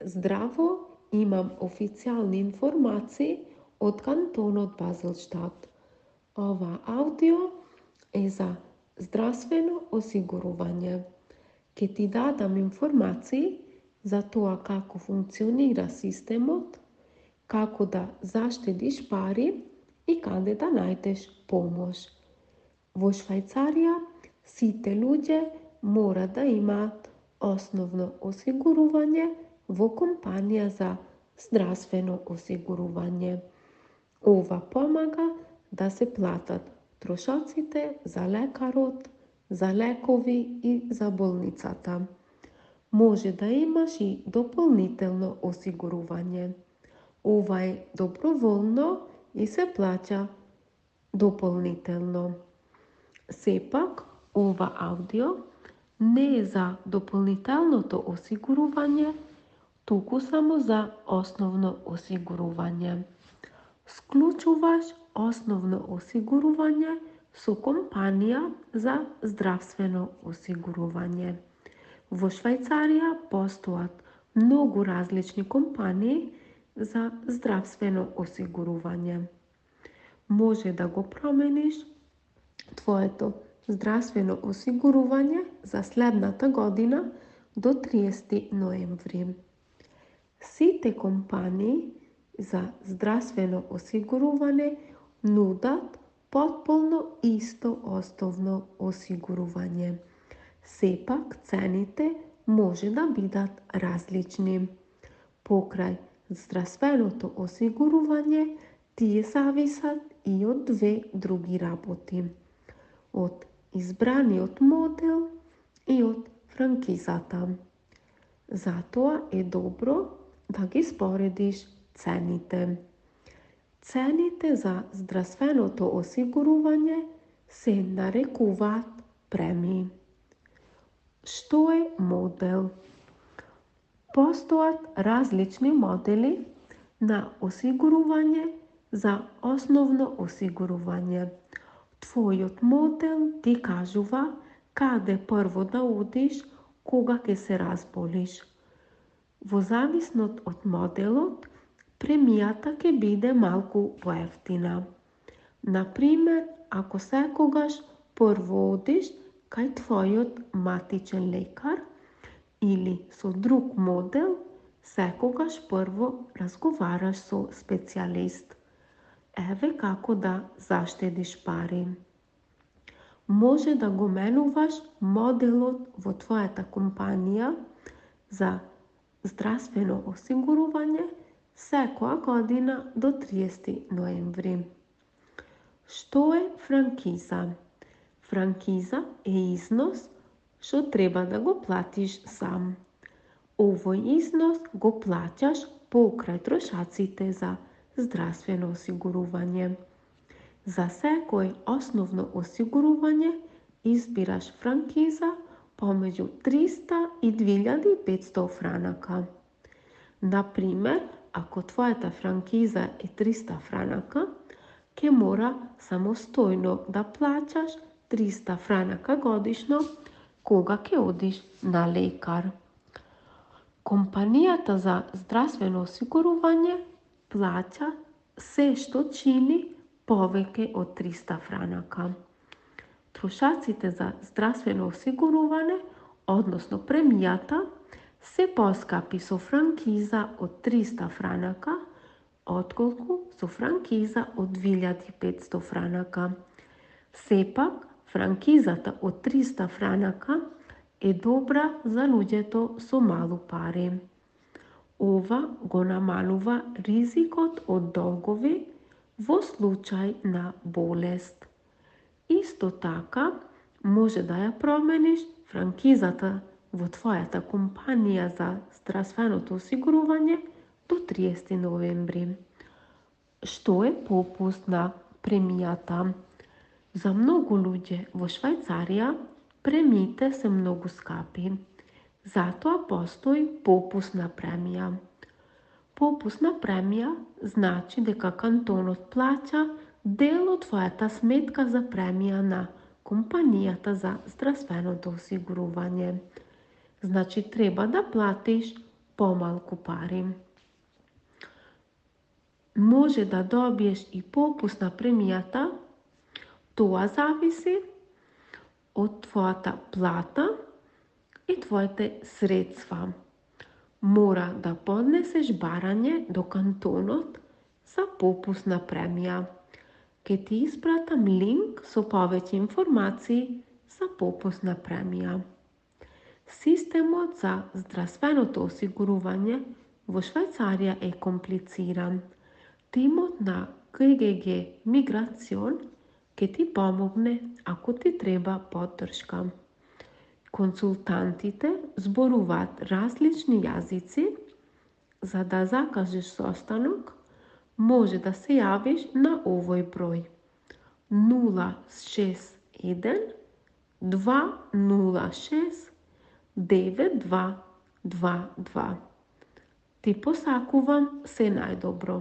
Здраво, имам официјални информации од кантонот Базелштат. Ова аудио е за здравствено осигурување. Ке ти дадам информации за тоа како функционира системот, како да заштедиш пари и каде да најдеш помош. Во Швајцарија сите луѓе мора да имаат основно осигурување во компанија за здравствено осигурување. Ова помага да се платат трошоците за лекарот, за лекови и за болницата. Може да имаш и дополнително осигурување. Ова е доброволно и се плаќа дополнително. Сепак, ова аудио не е за дополнителното осигурување, туку само за основно осигурување. Склучуваш основно осигурување со компанија за здравствено осигурување. Во Швајцарија постојат многу различни компании за здравствено осигурување. Може да го промениш твоето здравствено осигурување за следната година до 30 ноември. Сите компании за здравствено осигурување нудат потполно исто основно осигурување. Сепак цените може да бидат различни. Покрај здравственото осигурување тие зависат и од две други работи. Од избраниот модел и од франкизата. Затоа е добро да ги споредиш цените. Цените за здравственото осигурување се нарекуваат премии. Што е модел? Постојат различни модели на осигурување за основно осигурување. Твојот модел ти кажува каде прво да одиш кога ќе се разболиш. Во зависност од моделот, премијата ќе биде малку поевтина. Например, ако секогаш прво одиш кај твојот матичен лекар или со друг модел, секогаш прво разговараш со специјалист. Еве како да заштедиш пари. Може да го менуваш моделот во твојата компанија за здравствено осигурување секоја година до 30 ноември. Што е франкиза? Франкиза е износ што треба да го платиш сам. Овој износ го плаќаш покрај трошаците за здравствено осигурување. За секој основно осигурување избираш франкиза помеѓу 300 и 2500 франака. Например, ако твојата франкиза е 300 франака, ќе мора самостојно да плаќаш 300 франака годишно кога ќе одиш на лекар. Компанијата за здравствено осигурување плаќа се што чини повеќе од 300 франака. Трошаците за здравствено осигурување, односно премијата, се поскапи со франкиза од 300 франака, отколку со франкиза од 2500 франака. Сепак, франкизата од 300 франака е добра за луѓето со малу пари. Ова го намалува ризикот од долгови во случај на болест. Исто така, може да ја промениш франкизата во твојата компанија за здравственото осигурување до 30 ноември. Што е попуст на премијата? За многу луѓе во Швајцарија премиите се многу скапи. Затоа постои попусна премија. Попусна премија значи дека кантонот плаќа дел од твојата сметка за премија на компанијата за здравственото осигурување. Значи треба да платиш помалку пари. Може да добиеш и попуст на премијата, тоа зависи од твојата плата и твоите средства. Мора да поднесеш барање до кантонот за попусна премија. Ке ти испратам линк со повеќе информации за попусна премија. Системот за здравственото осигурување во Швајцарија е комплициран. Тимот на ГГГ Миграцион ке ти помогне ако ти треба поддршка. Консултантите зборуваат различни јазици. За да закажеш состанок, може да се јавиш на овој број 061 206 9222. Ти посакувам се најдобро.